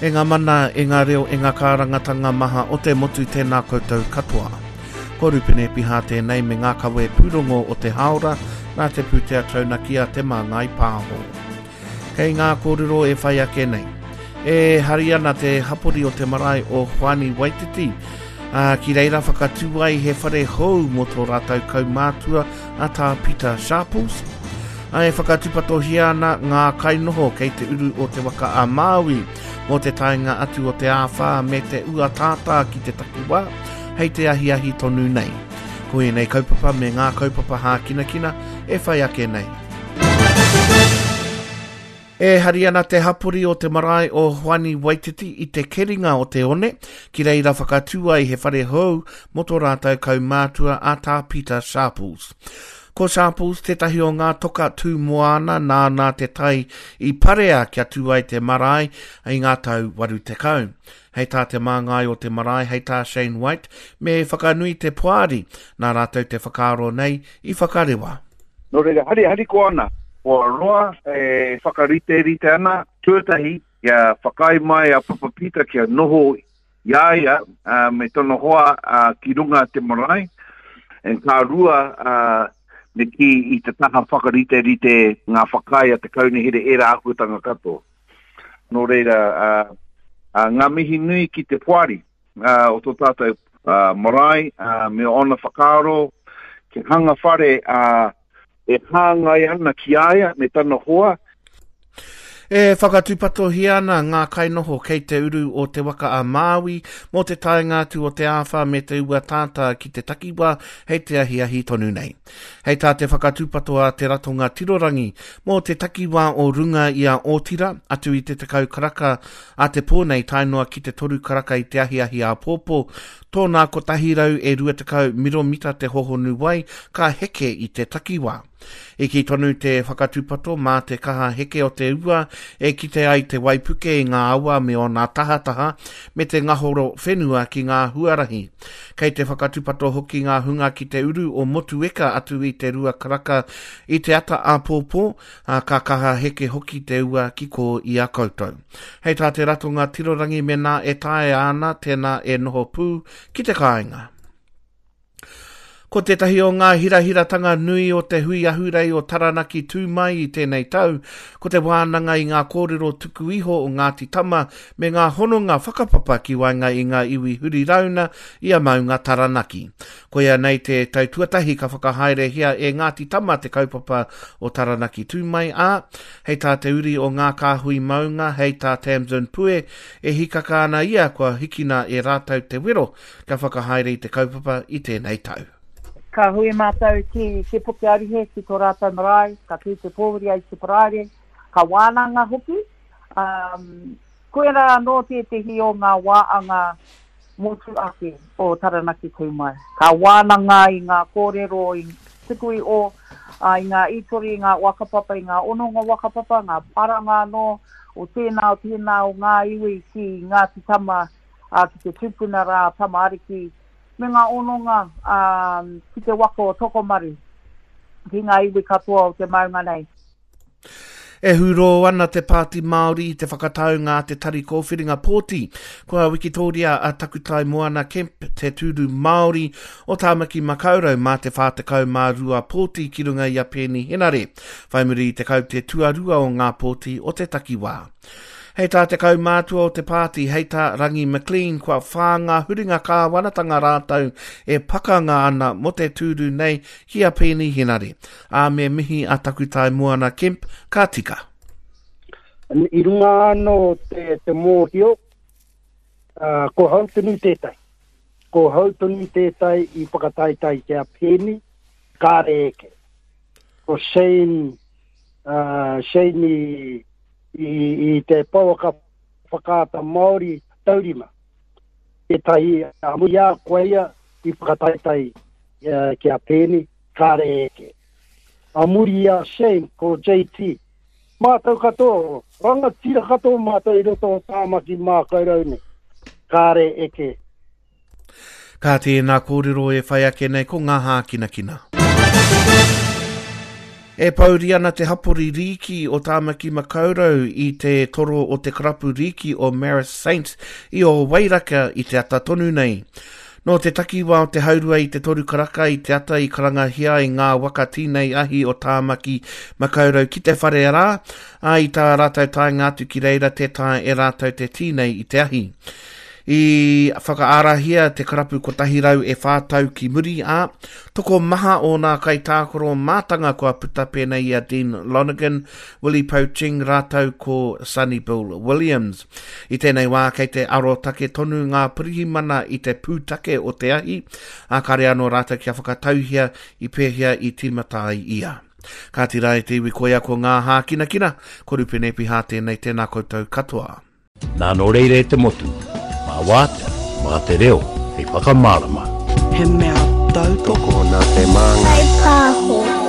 E ngā mana, e ngā reo, e ngā kārangatanga maha o te motu tēnā koutou katoa. Ko Rupene Piha tēnei me ngā kawe pūrongo o te hāora nā te pūtea taunaki a Te Māngai Pāho. Kei ngā kōrero e whai ake nei. E hari ana te hapori o te marae o Hoani Waititi, ā, ki reira whakatū ai he whare hou mō tō rātou kaumātua a Tā Pita Sharples. Ā, e whakatūpatohia ana ngā kainoho kei te uru o Te Waka a Māui mō te taenga atu o te āwhā me te ua tātā ki te takiwā hei te ahiahi tonu nei. Ko ēnei kaupapa me ngā kaupapa hākinakina e whai ake nei. E hari ana te hapori o te marae o Hoani Waititi i te keringa o te one, ki reira whakatū ai he whare hou mō tō rātou kaumātua a Tā Pita Sharples. Ko Sharples tētahi o ngā toka tū moana nāna te tai i parea kia tū ai te marae i ngā tau 80. Hei tā te māngai o te marae, hei tā Shane White, me whakanui te poari nā rātou te whakaaro nei i whakarewa. Nō reira, hari, harikoa ana, kua roa e whakariterite ana, tuatahi, kia whakaae mai a Papa Pita kia noho i a ia me tana hoa ki runga te marae, and ka rua, me kī i te taha whakariterite ngā whakaae a te kaunihera ērā āhuatanga katoa. Nō reira, ngā mihi nui ki te poari. o tō tātou marae me ōna whakaaro kia hanga whare e hāngai ana ki a ia me tana hoa. E whakatūpatohia ana ngā kainoho kei te uru o Te Waka a Māui mō te taenga atu o te āwhā me te ua tātā ki te takiwā hei te ahiahi tonu nei. Hei tā te whakatūpato a Te Ratonga Tirorangi mō te takiwā o runga i a Ōtira atu i te 10 karaka Ā te pō nei tae noa ki te toru karaka i te ahiahi āpōpō, tōna 120 miromita te hohonu wai ka heke i te takiwā. I kī tonu te whakatūpato mā te kaha heke o te ua e kite ai te waipuke i ngā awa me ōna tahataha me te ngahoro whenua ki ngā huarahi. Kei te whakatūpato hoki ngā hunga ki te uru o Motueka atu i te rua karaka i te ata āpōpō, ā, ka kaha heke hoki te ua ki kō i a koutou. Hei tā te ratonga tirorangi mēnā e taea ana, tēnā e noho pū ki te kāinga. Ko tētahi o ngā hirahiratanga nui o te hui ahurei o Taranaki tū mai i tēnei tau, ko te wānanga i ngā kōrero tuku iho o Ngāti Tama me ngā hononga whakapapa ki waenga i ngā iwi huri rauna i a Maunga Taranaki. Koia nei te tau tuatahi ka whakahaerehia e Ngāti Tama te kaupapa o Taranaki Tū Mai, ā, hei tā te uri o Ngā Kāhui Maunga, hei tā Tamsin Pue, e hikaka ana ia kua hikina e rātou te wero kia whakahaere i te kaupapa i tēnei tau. Ka hui mātou ki Te Puke Aruhe, ki tō rātou marae, ka tū te pōwhiri ai te Paraire, ka wānanga hoki. Koirā anō tētehi o ngā wāanga motu ake o Taranaki Tū Mai. Ka wānanga i ngā kōrero i tuku iho, i ngā ītori, i ngā whakapapa, i ngā hononga whakapapa, ngā paranga anō o tēnā, o tēnā o ngā iwi ki Ngāti Tama, ki te tupuna rā Tama Ariki, me ngā hononga ki te waka o Tokomaru, ki ngā iwi katoa o te maunga nei. E hūrō ana te Pāti Māori i te whakataunga a te Tari Kōwhiringa Pōti. Kua wikitōria a Takutai Moana Kemp te tūru Māori o Tāmaki Makaurau mā te 42 pōti ki runga i a Peeni Henare, whai muri i te kaute tuarua o ngā pōti o te takiwā. Hei tā te kaumātua o te pāti, hei tā Rangi McLean, kua whā ngā huringa kāwanatanga rātou e pakanga ana mō te tūru nei ki a Peeni Henare. Ā, me mihi a Takutai Moana Kemp, ka tika. I runga anō te, te mōhio, uh, ko hau tonu tētai. Ko hau tonu tētai i whakataetae ki a Pēni, kāre eke. Ko Shane, uh, Shane i, i, i te pouaka whakaata Māori taurima. Tētahi a muri a koe ia i whakataetae uh, ki a Pēni, Kāre e eke. A muri i a Shane, ko JT. Mātou katoa, rangatira katoa mātou i roto o Tāmaki Mākaurau nei. Kāre eke. Kā tēnā kōrero e whai ake nei ko ngā hākinakina. E pouri ana te hapori rīki o Tāmaki Makaurau i te toro o te karapu rīki o Marist Saints i Ōwairaka i te ata tonu nei. Nō te takiwā o te haurua i te toru karaka i te ata i karangahia ai ngā waka tīnei ahi o Tāmaki Makaurau ki te whare rā, ā, i tā rātou taenga atu ki reira tē taea e rātou te tīnei i te ahi. I whakaarahia te karapu 104 tau ki muri, ā, tokomaha ōna kaitākaro mātanga kua puta pēnei i a Dean Lonergan, Willie Poching rātou ko Sonny Bill Williams. I tēnei wā kei te arotake tonu ngā pirihimana i te pūtake o te ahi, ā, kāre anō rātou kia whakatauhia i pēhea i tīmata ai ia. Kāti rā e te iwi koia ko ngā hākinakina, ko Rupene Piha tēnei, tēnā koutou katoa. Nā nō reira e te motu, mā wātea, mā te reo hei whakamārama. He mea tautoko. Tokona te māngai. Whai pāho.